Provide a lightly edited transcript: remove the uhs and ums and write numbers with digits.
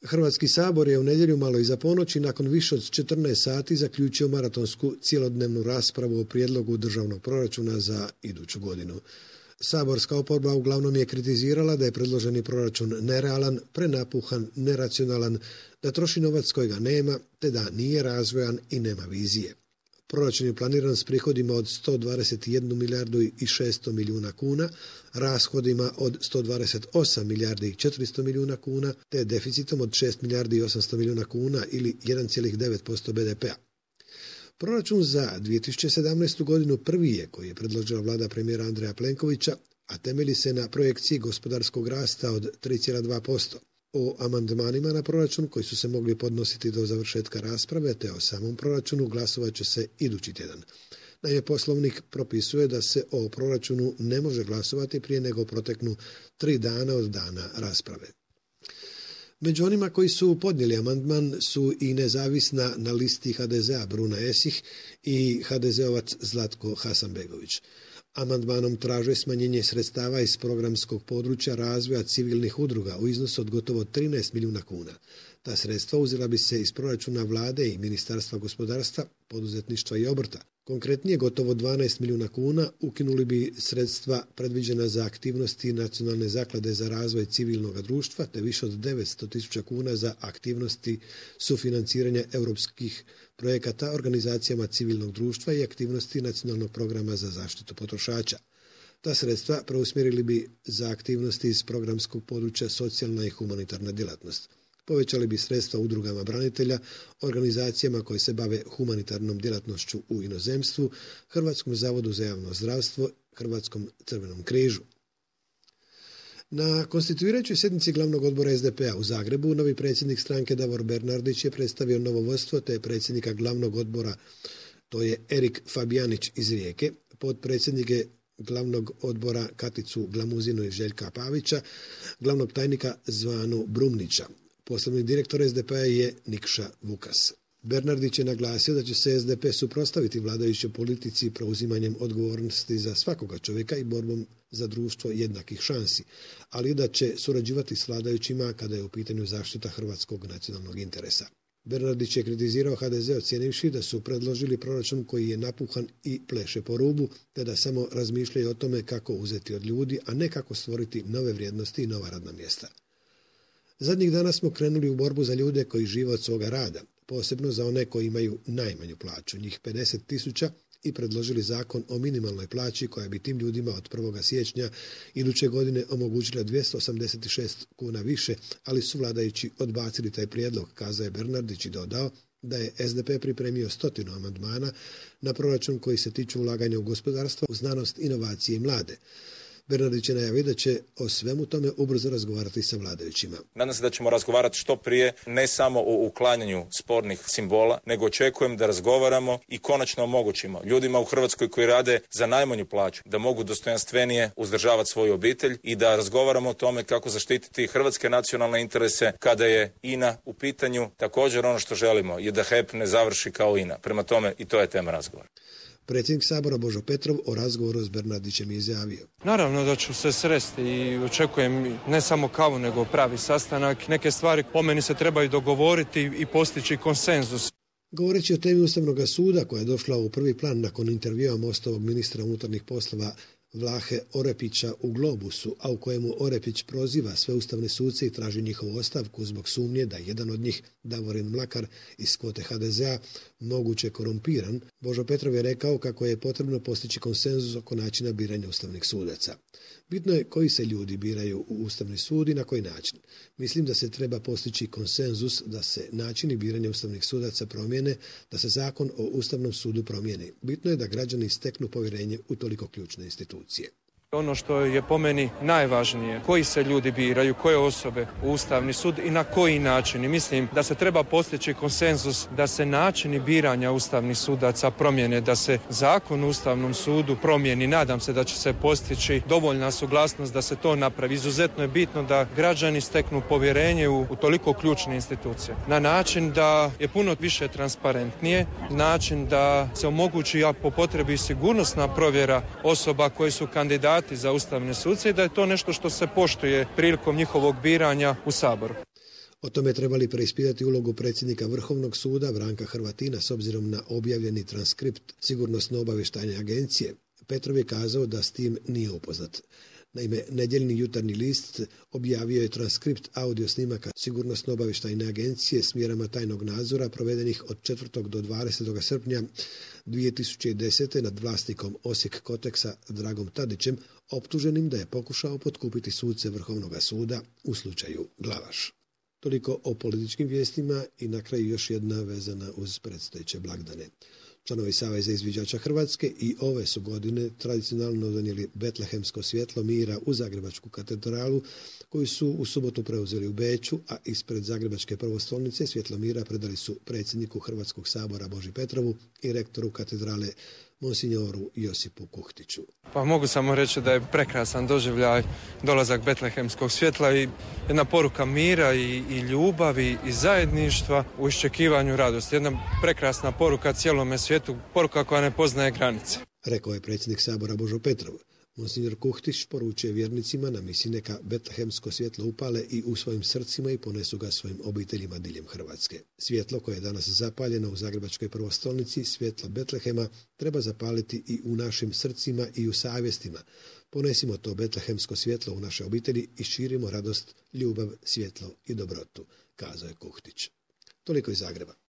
Hrvatski sabor je u nedjelju malo iza ponoći nakon više od 14 sati zaključio maratonsku cjelodnevnu raspravu o prijedlogu državnog proračuna za iduću godinu. Saborska oporba uglavnom je kritizirala da je predloženi proračun nerealan, prenapuhan, neracionalan, da troši novac kojega nema, te da nije razvojan i nema vizije. Proračun je planiran s prihodima od 121 milijardu i 600 milijuna kuna, rashodima od 128 milijardi i 400 milijuna kuna, te deficitom od 6 milijardi i 800 milijuna kuna ili 1,9% BDP-a. Proračun za 2017. godinu prvi je koji je predložila vlada premijera Andreja Plenkovića, a temelji se na projekciji gospodarskog rasta od 3,2%. O amandmanima na proračun koji su se mogli podnositi do završetka rasprave te o samom proračunu glasovat će se idući tjedan. Naime, poslovnik propisuje da se o proračunu ne može glasovati prije nego proteknu 3 dana od dana rasprave. Među onima koji su podnijeli amandman su i nezavisna na listi HDZ-a Bruna Esih i HDZ-ovac Zlatko Hasanbegović. Amandmanom traže smanjenje sredstava iz programskog područja razvoja civilnih udruga u iznosu od gotovo 13 milijuna kuna. Ta sredstva uzela bi se iz proračuna vlade i Ministarstva gospodarstva, poduzetništva i obrta. Konkretnije, gotovo 12 milijuna kuna ukinuli bi sredstva predviđena za aktivnosti Nacionalne zaklade za razvoj civilnog društva, te više od 900.000 kuna za aktivnosti sufinanciranja europskih projekata organizacijama civilnog društva i aktivnosti Nacionalnog programa za zaštitu potrošača. Ta sredstva preusmjerili bi za aktivnosti iz programskog područja socijalna i humanitarna djelatnost. Povećali bi sredstva udrugama branitelja, organizacijama koje se bave humanitarnom djelatnošću u inozemstvu, Hrvatskom zavodu za javno zdravstvo, Hrvatskom crvenom križu. Na konstituirajućoj sjednici glavnog odbora SDP-a u Zagrebu novi predsjednik stranke Davor Bernardić je predstavio novo vodstvo te predsjednika glavnog odbora, to je Erik Fabijanić iz Rijeke, potpredsjednike glavnog odbora Katicu Glamuzinu i Željka Pavića, glavnog tajnika Zvanu Brumnića. Poslovni direktor SDP-a je Nikša Vukas. Bernardić je naglasio da će se SDP suprotstaviti vladajućoj politici preuzimanjem odgovornosti za svakoga čovjeka i borbom za društvo jednakih šansi, ali da će surađivati s vladajućima kada je u pitanju zaštita hrvatskog nacionalnog interesa. Bernardić je kritizirao HDZ ocijenivši da su predložili proračun koji je napuhan i pleše po rubu, te da samo razmišljaju o tome kako uzeti od ljudi, a ne kako stvoriti nove vrijednosti i nova radna mjesta. Zadnjih dana smo krenuli u borbu za ljude koji žive od svoga rada, posebno za one koji imaju najmanju plaću, njih 50.000, i predložili zakon o minimalnoj plaći koja bi tim ljudima od 1. siječnja iduće godine omogućila 286 kuna više, ali su vladajući odbacili taj prijedlog, kazao je Bernardić i dodao da je SDP pripremio 100 amandmana na proračun koji se tiču ulaganja u gospodarstvo, u znanost, inovacije i mlade. Bernardić je najavio da će o svemu tome ubrzo razgovarati sa vladajućima. Nadam se da ćemo razgovarati što prije, ne samo o uklanjanju spornih simbola, nego očekujem da razgovaramo i konačno omogućimo ljudima u Hrvatskoj koji rade za najmanju plaću da mogu dostojanstvenije uzdržavati svoju obitelj i da razgovaramo o tome kako zaštititi hrvatske nacionalne interese kada je INA u pitanju. Također ono što želimo je da HEP ne završi kao INA. Prema tome i to je tema razgovora. Predsjednik Sabora Božo Petrov o razgovoru s Bernardićem je izjavio. Naravno da ću se sresti i očekujem ne samo kavu nego pravi sastanak. Neke stvari po meni se trebaju dogovoriti i postići konsenzus. Govoreći o temi Ustavnog suda koja je došla u prvi plan nakon intervjua Mostovog ministra unutarnjih poslova Vlahe Orepića u Globusu, a u kojemu Orepić proziva sve ustavne suce i traži njihovu ostavku zbog sumnje da jedan od njih, Davorin Mlakar iz kvote HDZ-a, moguće korumpiran, Božo Petrov je rekao kako je potrebno postići konsenzus oko načina biranja ustavnih sudaca. Bitno je koji se ljudi biraju u Ustavni sud i na koji način. Mislim da se treba postići konsenzus da se načini biranja ustavnih sudaca promijene, da se zakon o Ustavnom sudu promijeni. Bitno je da građani steknu povjerenje u toliko ključne institucije. Ono što je po meni najvažnije, koji se ljudi biraju, koje osobe u Ustavni sud i na koji način. I mislim da se treba postići konsenzus da se načini biranja ustavnih sudaca promijene, da se zakon o Ustavnom sudu promijeni. Nadam se da će se postići dovoljna suglasnost da se to napravi. Izuzetno je bitno da građani steknu povjerenje u toliko ključne institucije. Na način da je puno više transparentnije, način da se omogući, a po potrebi, sigurnosna provjera osoba koji su kandidati za ustavne suce i da je to nešto što se poštuje prilikom njihovog biranja u Saboru. O tome trebali preispitati ulogu predsjednika Vrhovnog suda Branka Hrvatina s obzirom na objavljeni transkript Sigurnosno-obavještajne agencije. Petrov je kazao da s tim nije upoznat. Naime, nedjeljni Jutarnji list objavio je transkript audio snimaka Sigurnosno-obavještajne agencije s mjerama tajnog nadzora provedenih od 4. do 20. srpnja 2010. nad vlasnikom Osijek Koteksa Dragom Tadićem, optuženim da je pokušao potkupiti suce Vrhovnog suda u slučaju Glavaš. Toliko o političkim vijestima i na kraju još jedna vezana uz predstojeće blagdane. Članovi Saveza izviđača Hrvatske i ove su godine tradicionalno donijeli betlehemsko svjetlo mira u Zagrebačku katedralu, koju su u subotu preuzeli u Beču, a ispred Zagrebačke prvostolnice svjetlo mira predali su predsjedniku Hrvatskog sabora Boži Petrovu i rektoru katedrale monsignoru Josipu Kuhtiću. Pa mogu samo reći da je prekrasan doživljaj dolazak betlehemskog svjetla i jedna poruka mira i ljubavi i zajedništva u iščekivanju radosti. Jedna prekrasna poruka cijelome svijetu, poruka koja ne poznaje granice. Rekao je predsjednik sabora Božo Petrov. Monsignor Kuhtić poručuje vjernicima na misi neka betlehemsko svjetlo upale i u svojim srcima i ponesu ga svojim obiteljima diljem Hrvatske. Svjetlo koje je danas zapaljeno u Zagrebačkoj prvostolnici, svjetlo Betlehema, treba zapaliti i u našim srcima i u savjestima. Ponesimo to betlehemsko svjetlo u naše obitelji i širimo radost, ljubav, svjetlo i dobrotu, kazao je Kuhtić. Toliko iz Zagreba.